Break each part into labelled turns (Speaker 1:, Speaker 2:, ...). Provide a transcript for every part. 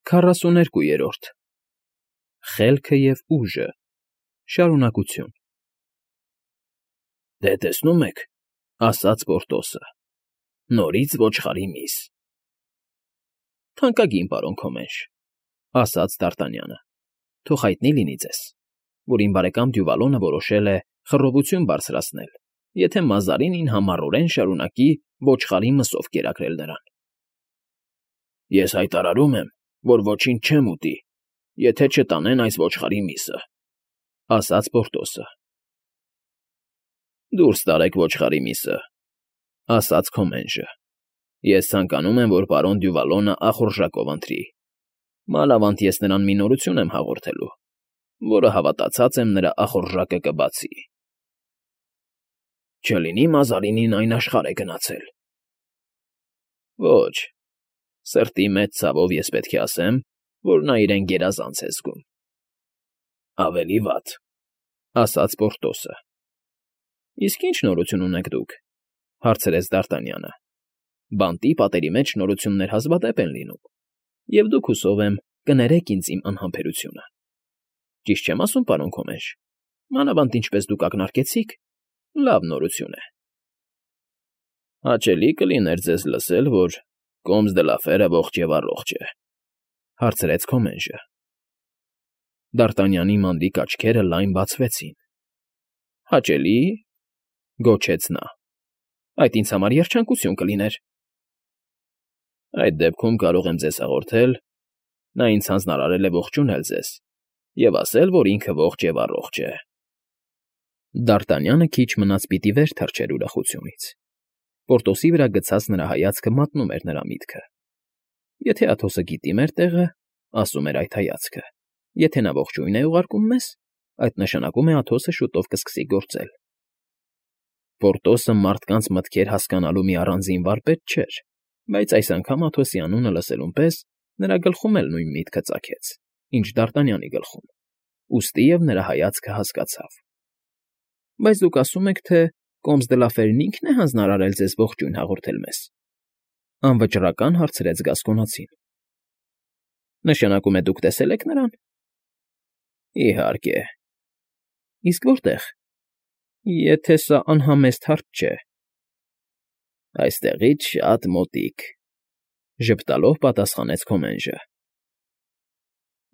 Speaker 1: 42-րդ Խելքը և ուժը, շարունակություն։ Դե տեսնում եք, ասաց Պորտոսը, նորից ոչխարի միս։ Թանկագին պարոն Քոմենշ, ասաց Դ'Արտանյանը, թող հայտնի լինի ձեզ, որ իմ բարեկամ Դյուվալոնը որոշել է խռովություն բարձրացնել, եթե Մազարինին համառորեն շարունակի ոչխարի մսով կերակրել նրան։ Ես հայտարարում եմ, որ ոչինչ չեմ ուտի, եթե չտանեն այս ոչխարի միսը, ասաց Պորտոսը։ Դուրս տարեք ոչխարի միսը, ասաց Քոմենշը։ Ես ցանկանում եմ, որ պարոն Դյուվալոնը ախորժակով ընտրի։ Մանավանդ ես նրան մի նորություն եմ հաղորդելու, որը հավատացած եմ նրա ախորժակը կբացի։ Չլինի Մազարինին այն աշխարհ է գնացել։ Ոչ, սրտի մեծ ցավով ես պետք է ասեմ, որ նա իրեն գերազանց է զգում։ Ավելի վատ, ասաց Պորտոսը։ Իսկ ինչ նորություն ունեք դուք, հարցրեց Դ'Արտանյանը։ Բանտի պատերի մեջ նորություններ հազվադեպ են լինում, և դուք, հուսով եմ, կներեք ինձ իմ անհամբերությունը։ Ճիշտ չեմ ասում, պարոն Քոմենշ, մանավանդ ինչպես դուք ակնարկեցիք, լավ նորություն է։ Հաճելի կլիներ ձեզ լսել, որ Կոմս դը Լաֆերը ողջ և առողջ է, հարցրեց Քոմենշը։ Դ'Արտանյանի մանրիկ աչքերը լայն բացվեցին։ Հաճելի՞, գոչեց նա։ Այդ ինձ համար երջանկություն կլիներ։ Այդ դեպքում կարող եմ ձեզ հաղորդել, նա ինձ հանձնարարել է ողջունել ձեզ և ասել, որ ինքը ողջ և առողջ է։ Դ'Արտանյանը քիչ մնաց պիտի վեր թռչեր ուրախությունից։ Պորտոսի վրա գցած նրա հայացքը մատնում էր նրա միտքը։ Եթե Աթոսը գիտի մեր տեղը, ասում էր այդ հայացքը, եթե նա ողջույն է ուղարկում մեզ, այդ նշանակում է Աթոսը շուտով կսկսի գործել։ Պորտոսը մարդկանց մտքեր հասկանալու մի առանձին վարպետ չէր, բայց այս անգամ Աթոսի անունը լսելուն պես նրա գլխում էլ նույն միտքը ծագեց, ինչ Դ'Արտանյանի գլխում, ուստի և նրա հայացքը հասկացավ։ Բայց դուք ասում եք, թե Կոմս դը Լաֆերն ինքն է հանձնարարել ձեզ ողջույն հաղորդել մեզ, անվճռական հարցրեց Գասկոնացին։ Նշանակում է դուք տեսել եք նրան։ Իհարկե։ Իսկ որտե՞ղ։ Եթե սա անհամեստ հարց չէ։ Այստեղից շատ մոտիկ, ժպտալով պատասխանեց Քոմենշը։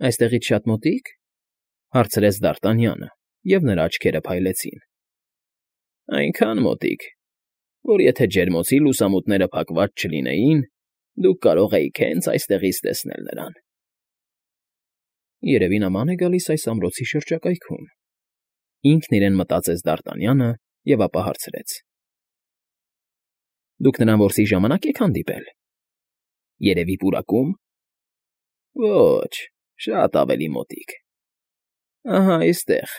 Speaker 1: Այստեղից շատ մոտի՞կ, հարցրեց Դ'Արտանյանը, և նրա աչքերը փայլեցին։ Այնքան մոտիկ, որ եթե ջերմոցի լուսամուտները փակված չլինեին, դուք կարող էիք հենց այստեղից տեսնել նրան։ Երևի նման է գալիս այս ամրոցի շրջակայքում։ Ինքն իրեն մտածեց Դ'Արտանյանը և ապա հարցրեց. Դուք նրան որսի ժամանակ եք հանդիպել։ Երևի պուրակում։ Ոչ, շատ ավելի մոտիկ։ Ահա այստեղ,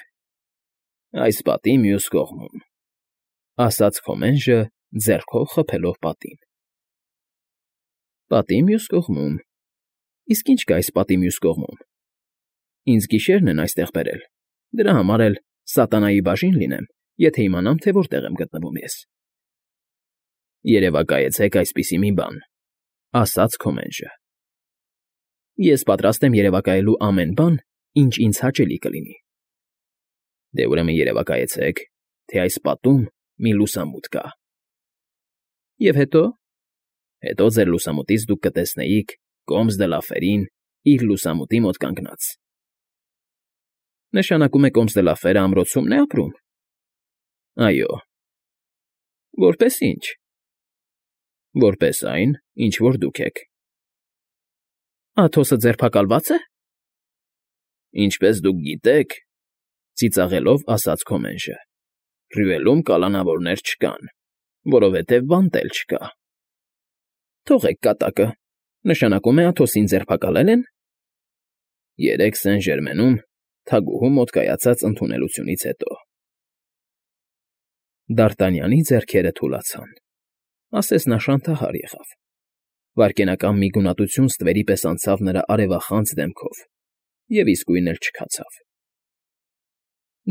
Speaker 1: այս պատի մյուս կողմում, ասաց Քոմենշը, ձեռքով խփելով պատին։ Պատի մյուս կողմում։ Իսկ ինչ կա այս պատի մյուս կողմում։ Ինձ գիշերն են այստեղ բերել, դրա համար էլ սատանայի բաժին լինեմ, եթե իմանամ, թե որտեղ եմ գտնվում ես։ Երևակայեցեք այսպիսի մի բան, ասաց Քոմենշը։ Ես պատրաստ եմ երևակայելու ամեն բան, ինչ ինձ հաճելի կլինի։ Դե ուրեմն երևակայեցեք, թե այս պատում մի լուսամուտ կա։ Եվ հետո։ Հետո ձեր լուսամուտից դուք կտեսնեիք Կոմս դը Լաֆերին իր լուսամուտի մոտ կանգնած։ Նշանակում է Կոմս դը Լաֆերը ամրոցումն է ապրում։ Այո։ Որպես ինչ։ Որպես այն, ինչ որ դուք եք։ Աթոսը ձերբակալվա՞ծ է։ Ինչպես դուք գիտեք, ծիծաղելով ասաց Քոմենշը, Ռյուելում կալանավորներ չկան, որովհետև բանտ էլ չկա։ Թողեք կատակը, նշանակում է Աթոսին ձերբակալել են։ Երեկ Սեն֊Ժերմենում թագուհու մոտ կայացած ընդունելությունից հետո։ Դ'Արտանյանի ձեռքերը թուլացան, ասես նա շանթահար եղավ։ Վայրկենական մի գունատություն ստվերի պես անցավ նրա արևախանձ դեմքով և իսկույն էլ չքացավ։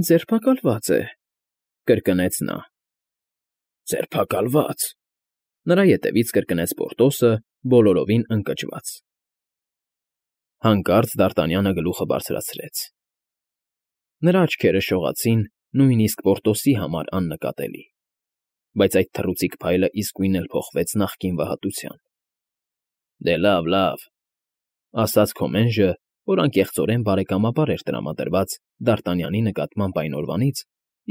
Speaker 1: Ձերբակալված է, կրկնեց նա։ Ձերբակալված։ Նրա ետևից կրկնեց Պորտոսը, բոլորովին ընկճված։ Հանկարծ Դարտանյանը գլուխը բարձրացրեց։ Նրա աչքերը շողացին նույնիսկ Պորտոսի համար աննկատելի, բայց այդ թռուցիկ փայլը իսկույն էլ փոխվեց նախկին վհատության։ Դե լավ, ասաց Քոմենժը, որ անկեղծորեն բարեկամաբար էր տրամադրված Դարտանյանի նկատմամբ այն օրվանից,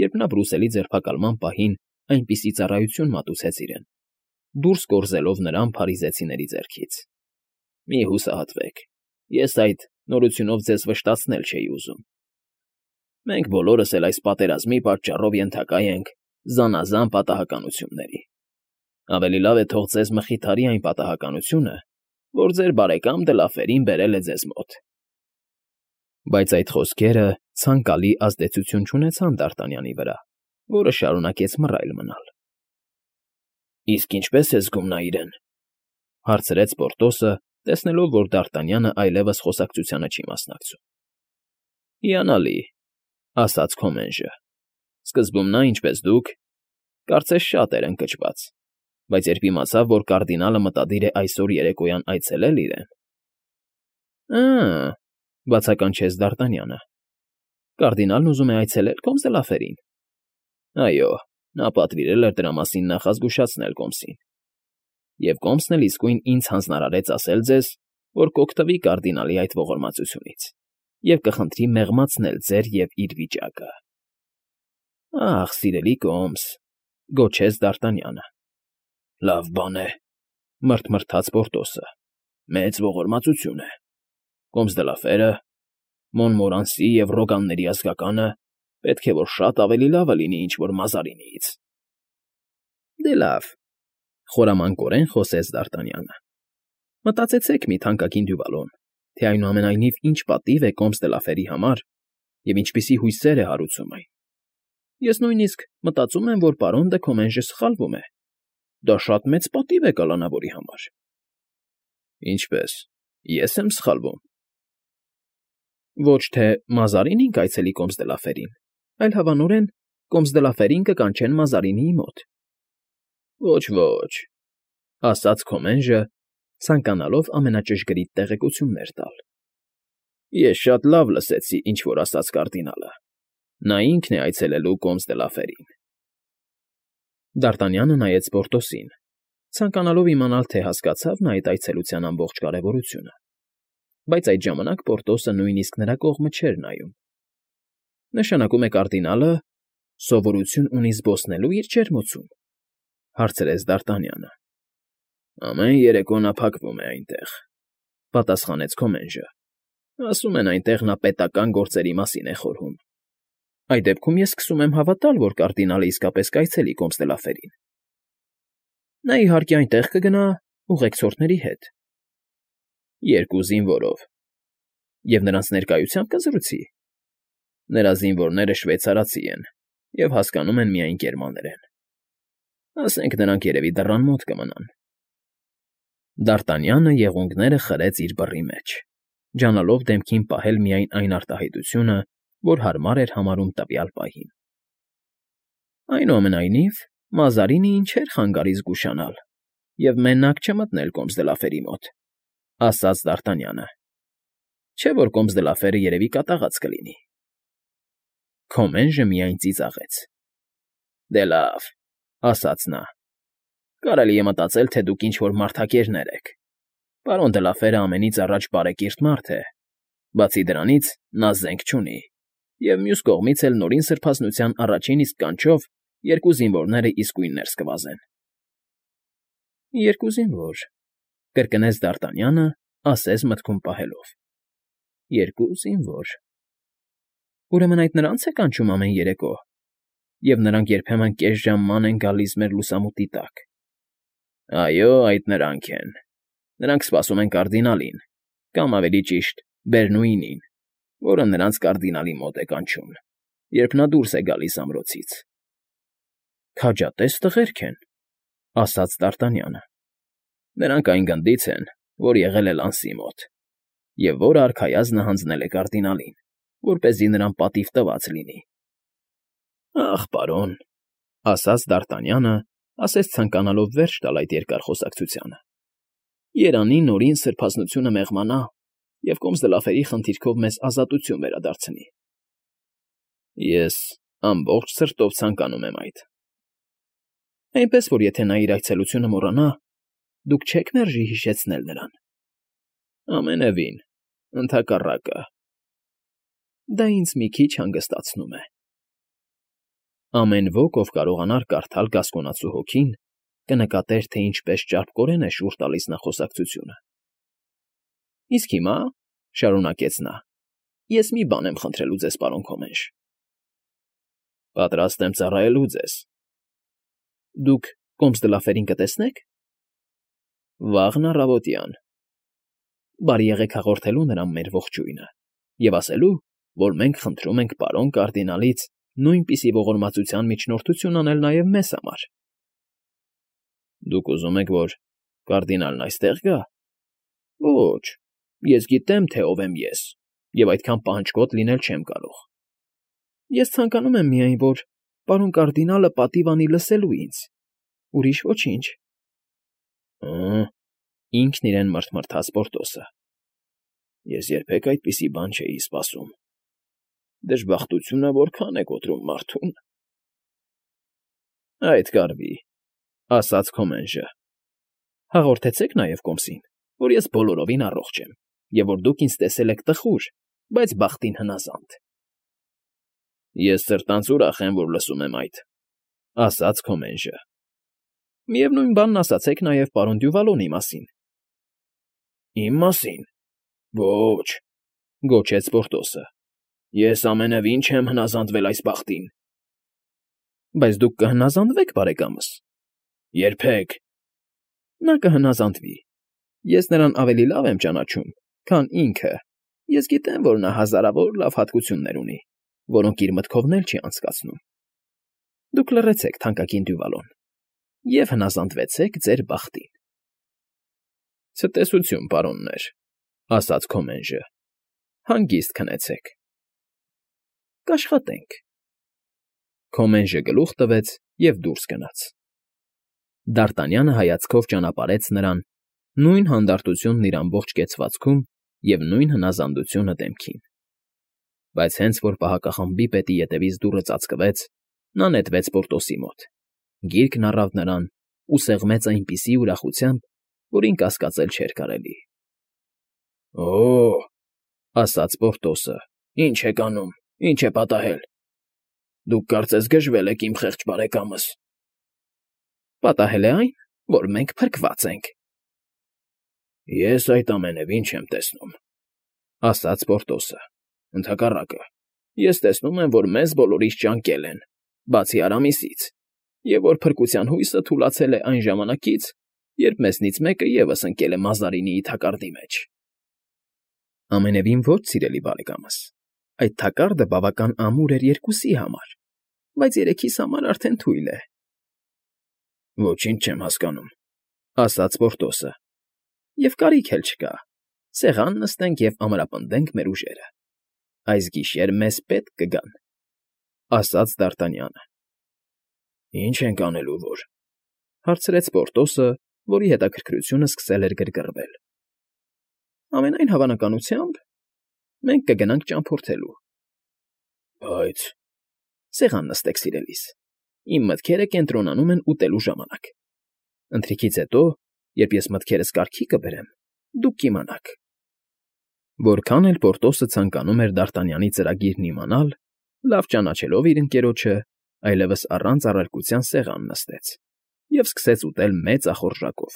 Speaker 1: երբ նա Բրուսելի ձերբակալման պահին այնպիսի ծառայություն մատուցեց իրեն, դուրս կորզելով նրան փարիզեցիների ձեռքից։ Մի հուսահատվեք, ես այդ նորությունով ձեզ վշտացնել չէի ուզում։ Մենք բոլորս էլ այս պատերազմի պատճառով ենթակա ենք զանազան պատահականությունների։ Ավելի լավ է թող ձեզ մխիթարի այն պատահականությունը, որ ձեր բարեկամ Դլաֆերին բերել է ձեզ մոտ։ Բայց այդ խոսքերը ցանկալի ազդեցություն չունեցան Դարտանյանի վրա, որը շարունակեց մռայլ մնալ։ Իսկ ինչպես է զգում նա իրեն, հարցրեց Պորտոսը, տեսնելով, որ Դարտանյանը այլևս խոսակցությանը չի մասնակցում։ Հիանալի, ասաց Քոմենժը։ Սկզբում նա, ինչպես դուք, կարծես շատ էր ընկճված, բայց երբ իմացավ, որ կարդինալը մտադիր է այսօր երեկոյան այցելել իրեն… Բացականչեց Դարտանյանը։ Կարդինալն ուզում է այցելել Կոմս դե Լաֆերին։ Այո, նա պատվիրել էր դրա մասին նախազգուշացնել Կոմսին։ Եվ Կոմսն էլ իսկույն ինձ հանձնարարեց ասել ձեզ, որ կօգտվի կարդինալի այդ ողորմածությունից և կխնդրի մեղմացնել ձեր և իր վիճակը։ Ախ, սիրելի Կոմս, գոչեց Դարտանյանը։ Լավ բան է, մռթմռթաց Պորտոսը։ Մեծ ողորմածություն է։ Կոմս դե Լաֆերը, Մոնմորանսի և Ռոգանների ազգականը պետք է որ շատ ավելի լավը լինի ինչ-որ Մազարինիից։ Դե լավ, խորամանկորեն խոսեց Դարտանյանը։ Մտածեցեք մի թանկագին դյուվալոն, թե այնուամենայնիվ ինչ պատիվ է Կոմս դե Լաֆերի համար և ինչպիսի հույսեր է հարուցում այն։ Ես նույնիսկ մտածում եմ, որ պարոն դը Քոմենժը սխալվում է։ Դա շատ մեծ պատիվ է կալանավորի համար։ Ինչպես, ես եմ սխալվում։ Ոչ թե Մազարինին կայցելի Կոմս դե Լաֆերին, այլ հավանորեն Կոմս դե Լաֆերին կկանչեն Մազարինիի մոտ։ Ոչ, ասաց Քոմենժը, ցանկանալով ամենաճշգրիտ տեղեկություններ տալ։ Ես շատ լավ լսեցի, ինչ որ ասաց կարդինալը։ Նա ինքն է այցելելու Կոմս դե Լաֆերին։ Դարտանյանը նայեց Պորտոսին, ցանկանալով իմանալ, թե հասկացավ նա այդ այցելության ամբողջ կարևորությունը, բայց այդ ժամանակ Պորտոսը նույնիսկ նրա կողմը չէր նայում։ Նշանակում է կարդինալը սովորություն ունի զբոսնելու իր ջերմոցում, հարցրեց Դարտանյանը։ Ամեն երեկո նա փակվում է այնտեղ, պատասխանեց Քոմենժը։ Ասում են այնտեղ նա պետական գործերի մասին է խորհում։ Այդ դեպքում ես սկսում եմ հավատալ, որ կարդինալը իսկապես կայցելի Կոմս դե Լաֆերին։ Նա իհարկե այնտեղ կգնա ուղեկցորդների հետ։ Երկու զինվորով։ Եվ նրանց ներկայությամբ կզրուցի։ Նրա զինվորները շվեյցարացի են և հասկանում են միայն գերմաներեն։ Ասենք նրանք երևի դռան մոտ կմնան։ Դարտանյանը եղունգները խրեց իր բռի մեջ, ջանալով դեմքին պահել միայն այն արտահայտությունը, որ հարմար էր համարում տվյալ պահին։ Այնուամենայնիվ, Մազարինին չէր խանգարի զգուշանալ և մենակ չմտնել Կոմս դե Լաֆերի մոտ, ասաց Դարտանյանը։ Չէ՞ որ Կոմս դե Լաֆերը երևի կատաղած կլինի։ Քոմենժը միայն ծիծաղեց։ Դե լավ, ասաց նա։ Կարելի է մտածել, թե դուք ինչ-որ մարդակերներ եք։ Պարոն դե Լաֆերը ամենից առաջ բարեկիրթ մարդ է, բացի դրանից նա զենք չունի, և մյուս կողմից էլ նորին սրբազնության առաջին իսկ կանչով երկու զինվորները իսկույն ներս կվազեն։ Երկու զինվոր, կրկնեց Դարտանյանը, ասես մտքում պահելով։ Երկու զինվոր։ Ուրեմն այդ նրանց է կանչում ամեն երեկո, և նրանք երբեմն կես ժամ ման են գալիս մեր լուսամուտի տակ։ Այո, այդ նրանք են։ Նրանք սպասում են կարդինալին, կամ ավելի ճիշտ Բերնուինին, որը նրանց կարդինալի մոտ է կանչում, երբ նա դուրս է գալիս ամրոցից։ Քաջատես տղերք են, ասաց Դարտանյանը։ Նրանք այն գնդից են, որ եղել է Լանսի մոտ, և որը արքայազնը հանձնել է կարդինալին, որպեսզի նրան պատիվ տված լինի։ Ախ, պարոն, ասաց Դարտանյանը, ասես ցանկանալով վերջ տալ այդ երկար խոսակցությանը։ Երանի նորին սրբազնությունը մեղմանա, և Կոմս֊դը֊Լաֆերի խնդիրքով մեզ ազատություն վերադարձնի։ Ես ամբողջ սրտով ցանկանում եմ այդ։ Այնպես որ եթե նա իր այցելությունը մոռանա, դուք չեք մերժի հիշեցնել նրան։ Ամենևին, ընդհակառակը։ Դա ինձ մի քիչ հանգստացնում է։ Ամեն ոք, ով կարողանար կարդալ Գասկոնացու հոգին, կնկատեր, թե ինչպես ճարպկորեն է շուռ տալիս նա խոսակցությունը։ Իսկ հիմա, շարունակեց նա, ես մի բան եմ խնդրելու ձեզ, պարոն Քոմենշ։ Պատրաստ եմ ծառայելու ձեզ։ Դուք Կոմս֊դը֊Լաֆերին կտեսնե՞ք։ Վաղն առավոտյան։ Բարի եղեք հաղորդելու նրան մեր ողջույնը և ասելու, որ մենք խնդրում ենք պարոն կարդինալից նույնպիսի ողորմածության միջնորդություն անել նաև մեզ համար։ Դուք ուզում եք, որ կարդինալն այստեղ գա։ Ոչ, ես գիտեմ, թե ով եմ ես, և այդքան պահանջկոտ լինել չեմ կարող։ Ես ցանկանում եմ միայն, որ պարոն կարդինալը պատիվ անի լսելու ինձ, ուրիշ ոչինչ։ Ինքն իրեն մռթմռթաց Պորտոսը։ Ես երբեք այդպիսի բան չէի սպասում։ Դժբախտությունը որքան է կոտրում մարդուն։ Այդ կարվի, ասաց Քոմենշը։ Հաղորդեցեք նաև Կոմսին, որ ես բոլորովին առողջ եմ, և որ դուք ինձ տեսել եք տխուր, բայց բախտին հնազանդ։ Ես սրտանց ուրախ եմ, որ լսում եմ այդ, ասաց Քոմենշը։ Միևնույն բանն ասացեք նաև պարոն Դյուվալոնի մասին։ Իմ մասին։ Ոչ, գոչեց Պորտոսը։ Ես ամենևին չեմ հնազանդվել այս բախտին։ Բայց դուք կհնազանդվեք, բարեկամս։ Երբեք։ Նա կհնազանդվի։ Ես նրան ավելի լավ եմ ճանաչում, քան ինքը։ Ես գիտեմ, որ նա հազարավոր լավ հատկություններ ունի, որոնք իր մտքովն էլ չի անցկացնում։ Դուք լռեցեք, թանկագին Դյուվալոն, և հնազանդվեցեք ձեր բախտին։ Ցտեսություն, պարոններ, ասաց Քոմենշը։ Հանգիստ քնեցեք։ Կաշխատենք։ Քոմենշը գլուխ տվեց և դուրս գնաց։ Դ'Արտանյանը հայացքով ճանապարհեց նրան, նույն հանդարտությունն իր ամբողջ կեցվածքում և նույն հնազանդությունը դեմքին։ Բայց հենց որ պահակախմբի պետի ետևից դուռը ծածկվեց, նա նետվեց Պորտոսի մոտ, գիրկն առավ նրան ու սեղմեց այնպիսի ուրախությամբ, որին կասկածել չէր կարելի։ Օ՜, ասաց Պորտոսը, ի՞նչ եք անում, ի՞նչ է պատահել։ Դուք կարծես գժվել եք իմ խեղճ բարեկամս։ Պատահել է այն, որ մենք փրկված ենք։ Ես այդ ամենևին չեմ տեսնում, ասաց Պորտոսը։ Ընդհակառակը, ես տեսնում եմ, որ մեզ բոլորիս ճանկել են, բացի Արամիսից, և որ փրկության հույսը թուլացել է այն ժամանակից, երբ մեզնից մեկը ևս ընկել է Մազարինիի թակարդի մեջ։ Ամենևին ոչ, սիրելի բարեկամս, այդ թակարդը բավական ամուր էր երկուսի համար, բայց երեքիս համար արդեն թույլ է։ Ոչինչ չեմ հասկանում, ասաց Պորտոսը։ Եվ կարիք էլ չկա։ Սեղան նստենք և ամրապնդենք մեր ուժերը։ Այս գիշեր մեզ պետք կգան, ասաց Դ'Արտանյանը։ Ինչ ենք անելու, որ, հարցրեց Պորտոսը, որի հետաքրքրությունը սկսել էր գրգռվել։ Ամենայն հավանականությամբ մենք կգնանք ճամփորդելու։ Բայց սեղան նստեք, սիրելիս, իմ մտքերը կենտրոնանում են ուտելու ժամանակ։ Ընթրիքից հետո, երբ ես մտքերս կարգի կբերեմ, դուք կիմանաք։ Որքան էլ Պորտոսը ցանկանում էր Դ'Արտանյանի ծրագիրն իմանալ, լավ ճանաչելով իր ընկերոջը, այլևս առանց առարկության սեղան նստեց և սկսեց ուտել մեծ ախորժակով,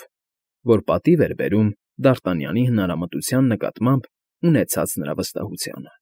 Speaker 1: որ պատիվ էր բերում Դ'Արտանյանի հնարամտության նկատմամբ ունեցած նրա վստահությանը։